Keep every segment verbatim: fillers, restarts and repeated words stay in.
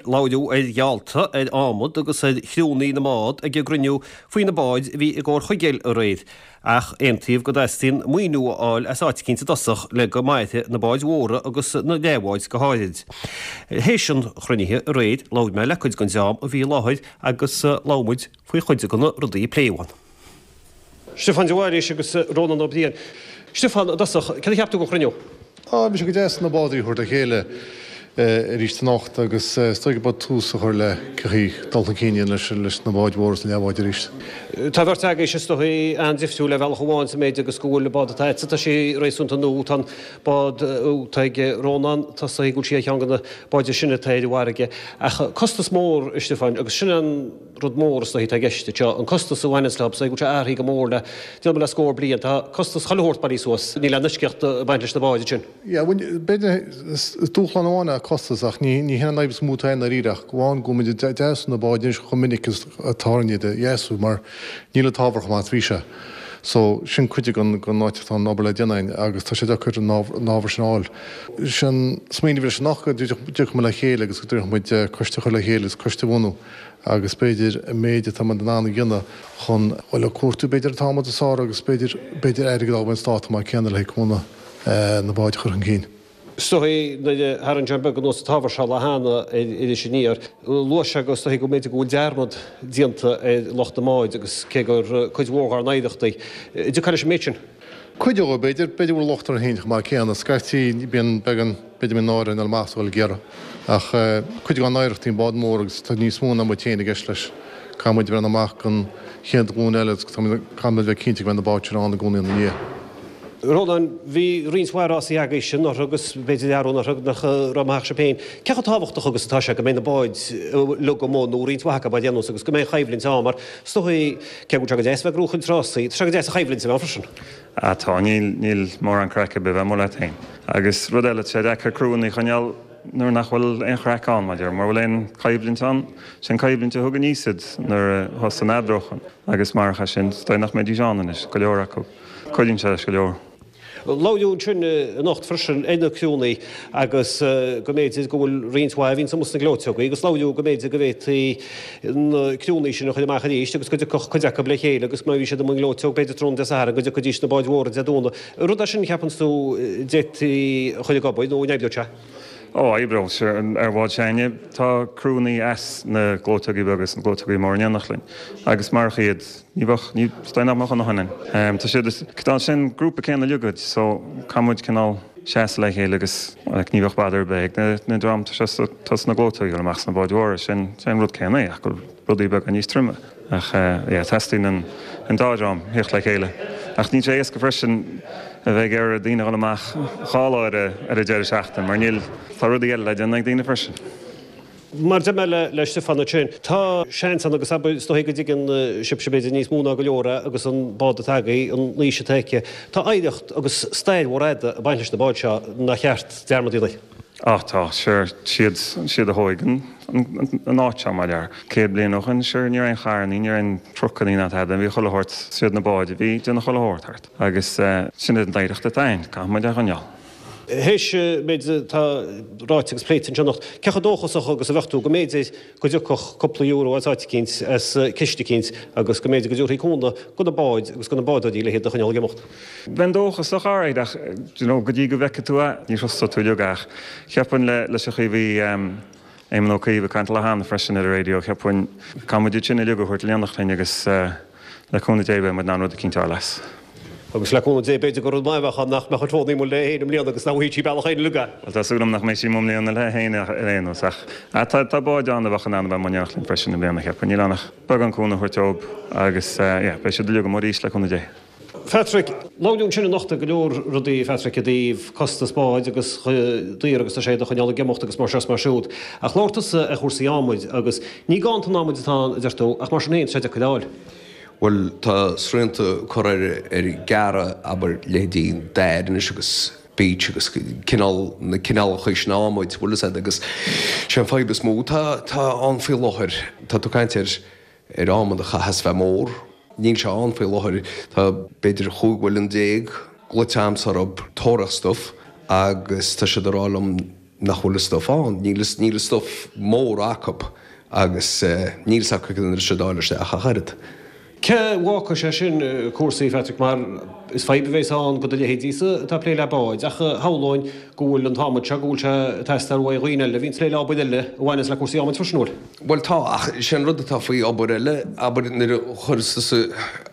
Labhraíodh ar gheallta, ar adhmad agus ar chriúnna na mbád ag an gcruinniú faoi na báid a bhí i gComhar Chuigéil aréir, ach aontaíodh go dteastaíonn maoiniú a fháil as áit eicínt i dtosach le go mairfidh na báid mhóra agus na leathbháid go háirid. Théis an chruinnithe aréir, labhair mé le cuid den dream a bhí i láthair agus labhair muid faoi chuid de na rudaí a pléadh ann. Stiofán de Bhailís agus Rónán Ó Briain. Stiofán, i dtosach, céard a cheap tú den chruinniú? Á, bhí sé go deas na bádóirí a thabhairt le chéile arís anocht agus is dóigh gurb tús a chur le cibé dul chun cinn leis leis na báid mhóra is na leathbháid arís. Tá beirt agaibhse is dóigh an-difriúil ar bhealach amháin sa méid agus go bhfuil an bád atá agatsa, tá sé réasúnta nua, tá an bád atá ag Rónán, tá sé go bhfuil sí ar cheann de na báid is sine atá ar an bhfarraige. Ach costas mór, a Stiofáin, agus sin an rud mór is dóigh atá i gceist anseo, an costas a bhaineanns leo, is dóigh go bhfuil sé athraithe go mór le déanamh le scór bliain, tá costas chuile shórt bailithe suas, níl aon eisceacht ag baint leis na báid sin. Yeah, b'fhéidir is dúshlán amháin é costas ach ní ní hin an fhadhb is mó atá i ndáiríre ach amháin go bhfuil muid ag deasú na báid anois chomh minic is atá orainn iad a dheasú mar níl an t-ábhar chomh maith is bhí sé. So sin cuid den den áit atá an obair le déanamh agus tá sé deacair an ábhar sin a fháil. Sin smaoineamh leis anocht go dtiocfaidh muid le chéile agus go dtabharfaidh muid coiste a chur le chéile agus coiste a bhunú agus b'fhéidir an méid atá muid in ann a dhéanamh chun bhuel ag cuartú b'fhéidir an t-adhmad is fearr agus b'fhéidir b'fhéidir airgead a fháil ón stát mar céanna le cúnamh na báid a chur chun cinn. Is dóigh nuair a tharraing John Beag anuas an t-ábhar seo lá cheana ar Iris Aniar, luaigh sé go is dóigh go mb'fhéidir go bhfuil dearmad déanta ar lucht na mbád agus cé gur cuid mhór dár n-oidhreacht í. An dtiocfá leis an méid sin? Cuid dhó, b'fhéidir, b'fhéidir go bhfuil locht orainn féin chomh maith céanna. Scaití bíonn beagán, b'fhéidir mbíonn náire orainn dul amach is dul ag iarraidh. Ach cuid dár n-oidhreacht í an bád mór agus tá níos mó ná muid féin i gceist leis. Caithfidh muid breathnú amach don chéad ghlúin eile agus caithfidh muid bheith cinnte go mbeidh na báid sin ann i gcónaí ina ndiaidh. Rónán, bhí roinnt mhaith rásaí agaibhse anuraidh agus b'fhéidir arú anuraidh nach raibh maith sibh féin. Cé chomh tábhachtach agus atá sé go mbeidh na báid uilig amuigh nó roinnt mhaith acu ar aon nós agus go mbeidh an choimhlint ann mar is dóigh cé go bhfuil sé go deas bheith ag gnóchaint rásaí, tá sé go deas an choimhlint a bheith ann freisin. Ah tá, níl, níl mórán craic ar bith bheith amuigh leat féin. Agus rud eile, tá sé deacair criúnna a choinneáil nuair nach bhfuil aon chraic ann, mar mura bhfuil aon choimhlint ann, sin coimhlint a thug aníos iad nuair a thosaigh an eadróchan agus marach é sin, is dóigh nach mbeidís ann anois, go leor acu. Cuidíonn sé leis go leor. Labhraíodh ansin anocht freisin ar na criúnna agus go mb'fhéidir go bhfuil roinnt mhaith a bhíonns amuigh sna gleoiteogaí agus labhraíodh go mb'fhéidir go bhféadfaí na criúnna sin a chur amach arís agus go dtiocfadh cuid acu le chéile agus má bhí siad amuigh i ngleoiteog b'fhéidir tráthnóna Dé Sathairn go dtiocfaidís sna báid mhóra Dé Domhnaigh. Rud é sin a cheapanns tú d'fhéadfaí a chur ag obair nó an oibreodh sé? Ó, oibreodh sé. Ar bhád s'againne tá criúnna as na gleoiteogaí beaga is na gleoiteogaí móra in éineacht linn agus marach iad ní bheadh, ní, is dóigh nach mbeadh a ndóthain againn. Tá siad, tá sin grúpa céanna uilig muid so caithfidh muid cineál seasamh le chéile agus like ní bheadh bother ar bith ag na, na dream atá sna gleoiteogaí dul amach sna báid mhóra, sin, sin an rud céanna é ach go bhfuil rudaí beaga níos troime. Ach yeah, teastaíonn an, an dá dhream theacht le chéile. Ach níl sé éasca freisin a bheith ag iarraidh daoine a dhul amach dhá lá ar a, ar an deireadh seachtaine mar níl, tá rudaí eile le déanamh ag daoine freisin. Mar a deir mé le, le Stiofán ansin, tá seans ann agus abair, is dóigh go dtuigeann sibhse b'fhéidir níos mó ná go leor é agus an bád atá agaibh, an aois atá aici, tá oidhreacht agus stair mhór fhada ag baint leis na báid seo nár cheart dearmad a dhéanamh. Á tá, sure, siad, siad a thóig an, an áit seo, mar dhea. Céad bliain ó shin, sure, ní raibh aon charrannaí, ní raibh aon trucannaí ná tada, bhí chuile shórt, siad na báid a bhí ag déanamh chuile shórt thart. Agus sin an oidhreacht atá againn, caithfidh muid é a choinneáil. Théis an méid atá ráite agus pléite anseo anocht, cé chomh dóchasach agus a bheadh tú go mb'fhéidir go dtiocfadh cúpla euro as áit eicínt, as ciste eicínt agus go mb'fhéidir go dtabharfaí cúnamh do na báid agus do na bádóirí le hiad a choinneáil ag imeacht? Bheinn dóchasach alright ach do you know go dtí go bhfeicfidh tú é ní thrustóidh tú uilig ach cheapfainn le leis an chaoi a bhí Éamon Ó Cuív ag caint lá cheana freisin ar an raidió cheapfainn caithfidh muid iad sin uilig a thabhairt in éineacht linn agus le cúnamh Dé beidh muid in ann rud eicínt a fháil as. Agus le cúnamh Dé b'fhéidir gur rud maith a bheadh ann nach mbeadh an Tony amuigh léi féin i mbliana agus nach bhfaighidh sí bealach féin uilig é. Bhuel tá súil agam nach mbeidh sí amuigh i mbliana léi féin ar aon nós ach tá tá báid ann a bheadh in ann a bheith amuigh in éineacht linn freisin i mbliana cheapfainn. Níl ann ach beagán cúnamh a thabhairt dóibh agus yeah beidh siad uilig amuigh arís le cúnamh Dé. Phatrick, Labhraíodh ansin anocht ar go leor rudaí, a Phatrick, i dtaobh costas báid agus chomh daor agus tá sé iad a choinneáil ag imeacht agus mar seo is mar siúd. Ach labhair tusa ar chúrsaí adhmaid agus ní ganntan adhmaid atá ann, a deir tú, ach mar sin féin, tá sé deacair a fháil. Bhuel, tá srianta curtha ar ar gearradh, abair, leithéidí dair anois agus beech agus cineál, na cineálacha sin adhmaid, bhfuil fhios a'd, agus sé an fadhb is mó atá, atá ann faoi láthair, tá tú ag caint ar, ar adhmad a chaitheas bheith mór. Níl sé ann faoi láthair. Tá b'fhéidir chúig mhuileann déag glaoite a'msa orthu tóraíocht stuif agus tá siad ag rá liom nach bhfuil an stuif ann, níl níl an stuif mór acu agus níl 's acu cad an sé dáil isteach ach oiread. Cé bhfágfaidh sé sin cúrsaí, Phatrick, mar is fadhb a bheas ann do do leithéidísa atá ag plé le báid, ach shamhlóinn go bhfuil an t-adhmad seo, go bhfuil sé ag teastáil uaidh dhaoine eile a bhíonn ag plé le obair eile a bhaineas le cúrsaí adhmaid freisin, an bhfuil? Bhuel tá, ach sé an rud atá faoi obair eile, abair nuair a chuireas tusa,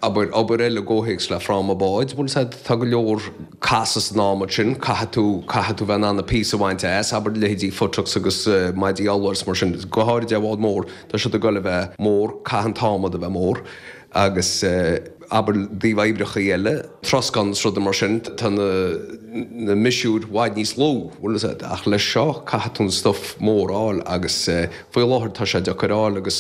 abair, obair eile i gcomhthéacs le fráma báid, bhfuil 's a'd, tá go leor casadh san adhmad sin, caithfidh tú, caithfidh tú bheith in ann na píosa a bhaint as, abair leithéidí futtocks agus maidí alla agus mar sin, go háirid ar bhád mór, tá siad ag goil a bheith mór, caithfidh an t-adhmad a bheith mór agus abair i dtaobh oibreachaí eile, troscán is rudaí mar sin, tá na na miosúir i bhfad níos lú, bhfuil 's a'd, ach leis seo caithfidh tú an stuif mór a fháil agus faoi láthair tá sé deacair a fháil agus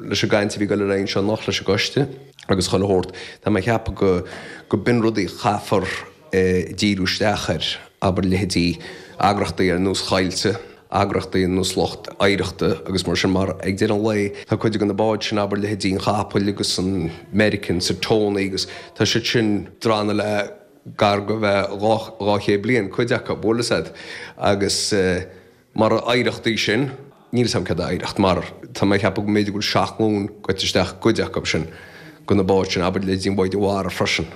leis an gcaint a bhí ag goil ar aghaidh anseo anocht leis an gcoiste agus chuile shórt, tá mé ag ceapadh go go b'in rudaí a chaithfear díriú isteach air, abair leithéidí eagrachtaí ar nós Choillte, eagrachtaí ar nós lucht oidhreachta agus mar sin mar ag deireadh an lae tá cuid de na báid sin, abair leithéidí an Chapaill agus an American 's an Tony agus tá siad sin drannadh le gar go bheith dhá chéad bliain, cuid acu, bhfuil 'fhios a'd agus mar oidhreacht í sin. Níl 'fhios a'm céard é oidhreacht mar tá mé ag ceapadh go mb'fhéidir go bhfuil seacht nglúin goite isteach i gcuid acu sin de na báid sin, abair leithéidí an bháid mhara freisin.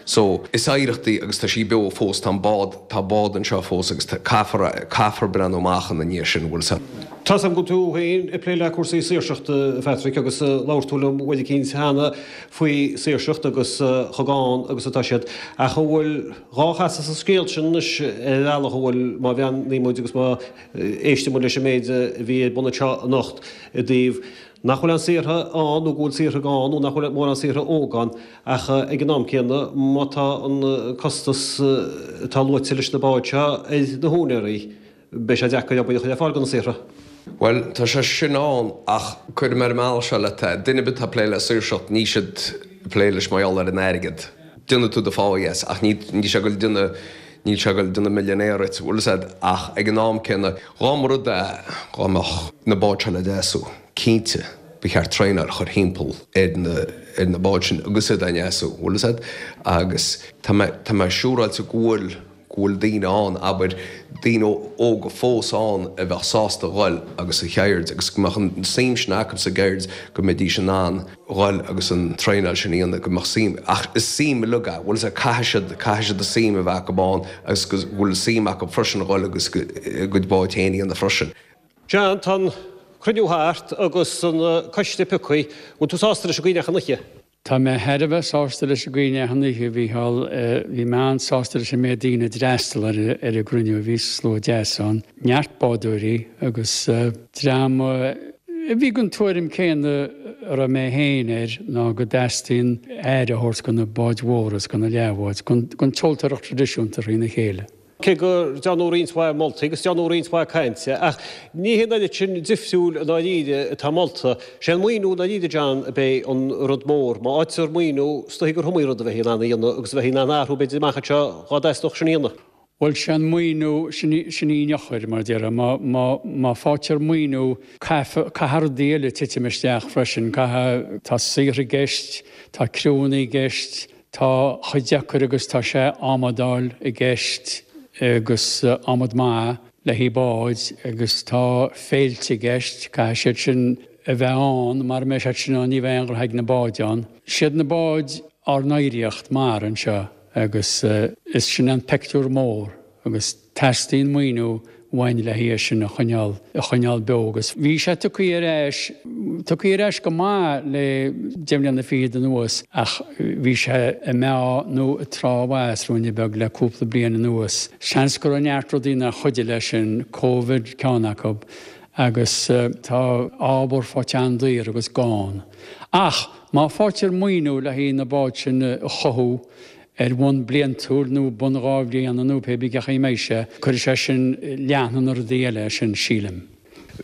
So, is oidhreacht í agus tá sí beo fós, tá an bád, tá bád anseo fós agus tá, caithfear, caithfear breathnú amach ina ndiaidh sin, bhfuil 'fhios a'd. Tá 's a'm go bhfuil tú féin ag plé le cúrsaí saoirseachta, a Phatrick, agus labhair tú liom uair eicínt cheana faoi saoirseacht agus chomh gann agus atá siad. Ach an bhfuil dhá chasadh sa scéal sin anois ar bhealach, an bhfuil, má bhreathnaíonn muid agus má éisteann muid leis an méid a bhí ar bun anseo anocht i dtaobh nach bhfuil aon saothraithe ann nó go bhfuil saothraithe gann nó nach bhfuil mórán saothraithe óg ann ach ag an am céanna má tá an costas atá luaite leis na báid seo ar na húinéirí beidh sé deacair obair a chur ar fáil do na saothraithe. Bhuel, tá sé sin ann ach cuirfidh mé ar an mbealach seo leat é, duine ar bith atá ag plé le saoirseacht níl siad ag plé leis mar gheall ar an airgead. Déanfaidh tú do phá, yes, ach ní sé ag goil déanamh Níl sé ag goil déanamh millionaire duit, bhfuil 'fhios a'd, ach ag an am céanna, dhá mba rud é dhá mbeadh na báid seo le deasú, cinnte, ba cheart traenáil a chur thimpeall ar na, ar na báid sin agus iad á ndeasú, bhfuil 'fhios a'd, agus tá mé, tá mé siúráilte go bhfuil, go bhfuil daoine ann, abair, daoine óga fós ann a bheadh sásta dhul agus a cheird agus go mbeadh an suim sin acu sa gceird go mbeidís in ann dhul agus an traenáil sin a dhéanamh, go mbeadh suim, ach is suim uilig é, bhfuil 'fhios a'd, caithfidh siad, caithfidh siad an suim a bheith acu ann agus go bhfuil suim acu freisin a dhul agus a gcuid báid féin a dhéanamh freisin. John, tá an cruinniú thart agus an coiste pioctha, bhfuil tú sásta leis an gcaoi a ndeachaigh an oíche? Tá mé thar a bheith sásta leis an gcaoi a ndeachaigh an oíche, a Mhícheáil. Bhí mé an-sásta leis an méid daoine a d'fhreastail ar an gcruinniú. Bhí slua deas ann, neart bádóirí agus dream a bhí den tuairim céanna a raibh mé féin air, ná go dteastaíonn aire a thabhairt do na báid mhóra is do na leathbháid, don tseoltóireacht traidisiúnta thrína chéile. Cé go ndearnadh roinnt mhaith moltaí agus dearnadh roinnt mhaith cainte, ach ní hé an oiread sin difriúil i ndáiríre atá molta. Sé an maoiniú i ndáiríre, John, a bheidh an rud mór. Má fhaightear maoiniú, is dóichí gur iomaí rud a bheifí in ann a dhéanamh agus a bheifí in ann a athrú b'fhéidir amach anseo dhá dteastódh sin a dhéanamh. Bhuel, sé an maoiniú, sin í an eochair, mar a déarfá. Má, má, má faightear maoiniú, caithfidh, caithfidh rudaí eile titim isteach freisin. Caithfidh, tá saothraithe i gceist, tá criúnna i gceist, Tá chomh deacair agus tá sé adhmad a fháil i gceist agus adhmad maith le haghaidh báid agus tá féilte i gceist, caithfidh siad sin a bheith ann, mara mbeidh siad sin ann ní bheidh aon ghraithe ag na báid ann. Siad na báid ár n-oidhreacht mara anseo agus is sin an peictiúr mór agus teastaíonn maoiniú uainn le haghaidh é sin a choinneáil, a choinneáil beo agus bhí sé tugtha ar ais, tugtha ar ais go maith le deich mbliana fichead anuas ach bhí sé ag meath nó ag trá amach ruainne beag le cúpla bliain anuas. Seans go raibh neart rudaí nár chuidigh leis sin, Covid ceann acu agus tá ábhar faighte an-daor agus gann. Ach má faightear maoiniú le haghaidh na báid sin a chothú, ar bhonn bliantúil nó bonn dhá bhliana nó pé bith cén chaoi a mbeidh sé, cuirfidh sé sin leathnú na rudaí eile sin, sílim.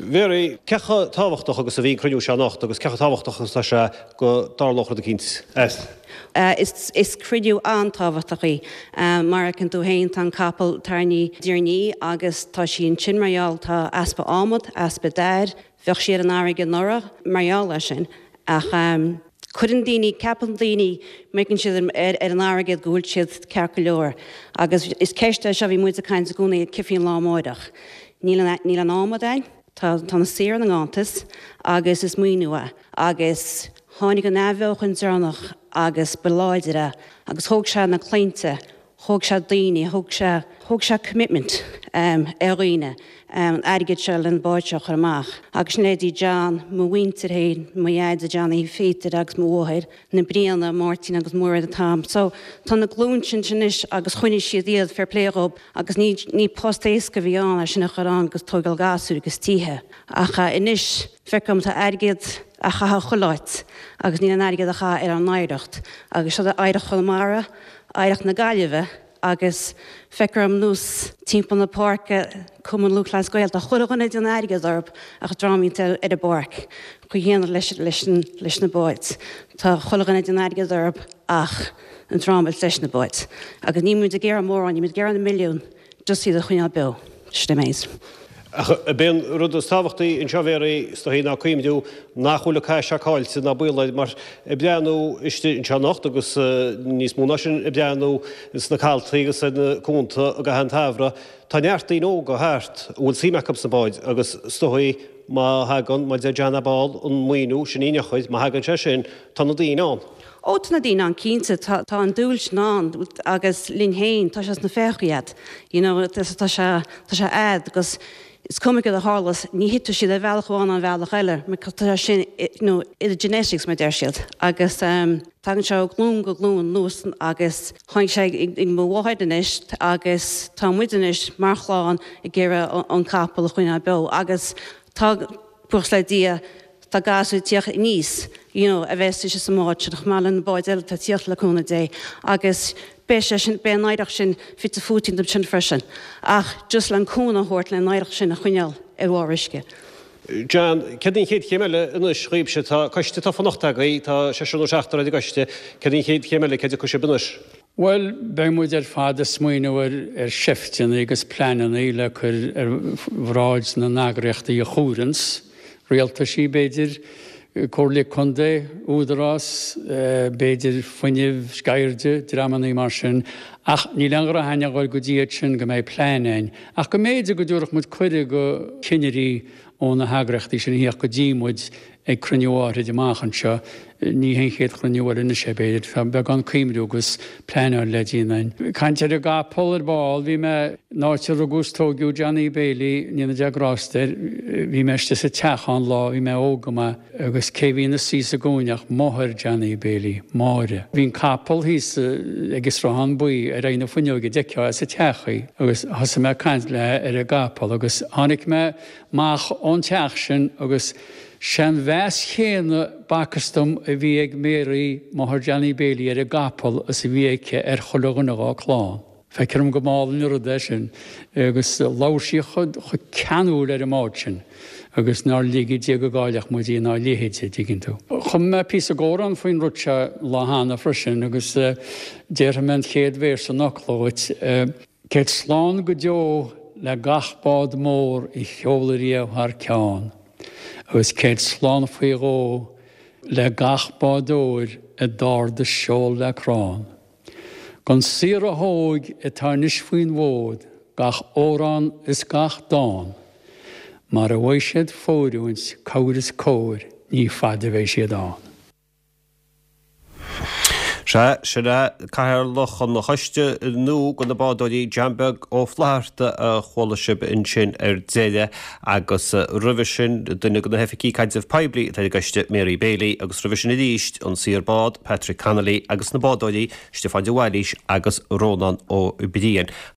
Mary, cé chomh tábhachtach agus a bhí an cruinniú seo anocht agus cé chomh tábhachtach agus atá sé go dtarlódh rud eicínt as? Is cruinniú an-tábhachtach í. Mar a fheiceann tú féin, tá an capall tarraingthe deireanaí agus tá sí ansin mar gheall, tá easpa adhmad, easpa dair, bheadh sí ar an fharraige anuraidh mar gheall air sin ach, Cuireann daoine, ceapann daoine, má fheiceann siad ar an fharraige go bhfuil siad ceart go leor. Agus is ceist é seo, bhí muid ag caint i gcónaí cén fá an lá amáireach. Níl an, níl an adhmad ann, tá, tá na saoir ina nganntanas agus is maoiniú é. Agus tháinig an athbheochan deireanach agus ba láidre agus thóg sé na claimhte, thóg sé daoine, thóg sé, thóg sé commitment um, ar dhaoine um, an airgead seo le na báid seo a chur amach. Agus sin leithéidí John, mo mhuintir féin, mo dheaide Johnny Peter agus mo mháthair, na Briana, Máirtín agus Muiread Tom. So tá na glúin sin anois agus choinnigh siad iad fair play dhób agus ní, ní post éasca a bhí ann é sin a chur ann agus tógáil gasúir agus tithe. Ach uh, anois feicim tá airgead á chaitheamh chuile áit agus níl an airgead á chaitheamh ar an oidhreacht. Agus seo oidhreacht Chonamara, oidhreacht na Gaillimhe agus feicim anuas timpeall na páirce Cumann Lúthchleas Gael, tá chuile dhuine ag déanamh airgead orthu ach drámaíonn ar an bpáirc chuig dhéanamh leis, leis, leis na báid. Tá chuile dhuine ag déanamh airgead orthu ach an drámailt leis na báid. Agus ní muid ag iarraidh mórán, ní muid ag iarraidh na milliún, just iad a choinneáil beo. Sin é méid. Ach b'é an rud is tábhachtaí anseo Mhéaraí is dóichí ná cuimhniú nach bhfuil an cath seo caillte ná baol air mar ag breathnú istigh anseo anocht agus níos mó ná sin ag breathnú sna caltaí agus ar na cuanta i gcaitheamh an tsamhraidh, tá neart daoine óga thart a bhfuil suim acu sna báid agus is dóichí má thagann, mar a deir John ab fhearr, an maoiniú sin í ndeochair, má thagann sé sin, tá na daoine ann. Ó tá na daoine ann cinnte tá tá an dúil sin ann agus linn féin tá sé sna féachaí iad. You know, tá tá sé tá sé a'd agus is cuma cad a tharlas ní thitfidh siad ar bhealach amháin an bhealach eile, mar tá sin you know, i the genetics mar deir siad. Agus um, tagann sé ó ghlúin go glúin anuas agus tháinig sé ag ag mo mháthair anois agus tá muid anois mar chlann ag iarraidh an capall a choinneáil beo agus tá buíochas le Dia tá gasúir ag tíocht aníos you know, a bheith sé sa mbád sin chomh maith le na báid eile tá tíocht le cúnamh Dé agus beidh sé sin beidh an oidhreacht sin fite fuaite sin freisin ach just le an cúnamh a thabhairt le an oidhreacht sin a choinneáil ar bharr uisce. John, céard an chéad chéim eile anois dhaoibhse tá coiste tá fanacht agaibh, tá seisear nó seachtar ar an gcoiste, céard an chéad chéim eile céard a sibh anois? Well, beidh muid ar fad ag smaoineamh ar, ar seifteanna agus pleananna le cur ar bhráid na n-eagraíochtaí a chúrans, rialtaisí b'fhéidir, Comhairle Contae, Údarás, b'fhéidir fuinneamh, sceirde, dreamanna mar sin, ach níl aon ghrá a dhul go dtí sin go mbeidh plean againn. Ach go mb'fhéidir go dtabharfadh muid cuireadh go cinnirí ó na heagraíochtaí sin theacht go dtí muid ag cruinniú áirid amach anseo, ní haon chéad chruinniú eile anois é b'fhéidir, tá beagán cuimriú agus pleanáil le déanamh. Caint ar an gcapall ar ball, bhí mé in áit a rugadh is tógadh Johnny Bailey, ndéana Dia grásta air, bhí mé istigh sa teach an lá, bhí mé óg go maith, agus cé bhí ina suí sa gcúinne ach máthair Johnny Bailey, Máire. Bhí an capall thíos ag an sruthán buí ar aghaidh na fuinneoige d'fheicfeá as an teach í, agus thosaigh mé ag caint léi ar an gcapall agus tháinig mé amach ón teach sin agus Se'n mheas chéanna b'fhacthas dom a bhí ag Mary máthair Johnny Bailey ar an gcapall is a bhí aici ar chuile dhuine dá clann. Feictear dom go mb'álainn an rud é sin agus labhair sí chomh ceanúil ar an mbád sin agus nár lige Dia go gcaillfeadh muid í ná a leithéid, an dtuigeann tú. Chum mé píosa amhráin faoin rud seo lá cheana freisin agus déarfaidh mé an chéad véarsa an fhocla dhuit. Céad slán go deo le gach bád mór a sheol riamh thar ceann. agus céad slán faoi dhó le gach bádóir a d'ardaigh seol le crann. Don saothar a thóg atá anois faoin bhfód gach amhrán is gach dán, mar a bhfaighidh siad fóiriúint cabhair is cóir ní fada a bheidh siad ann. Sea, sin é cathaoirleach an choiste nua do na bádóirí John Beag Ó Flatharta a chuala sibh ansin ar deireadh agus roimhe sin duine de na hoifigigh caidrimh poiblí atá ar an gcoiste Mary Bailey agus roimhe sin arís an saor bád Patrick Connolly agus na bádóirí Stiofán de Bhailís agus Rónán Ó Briain.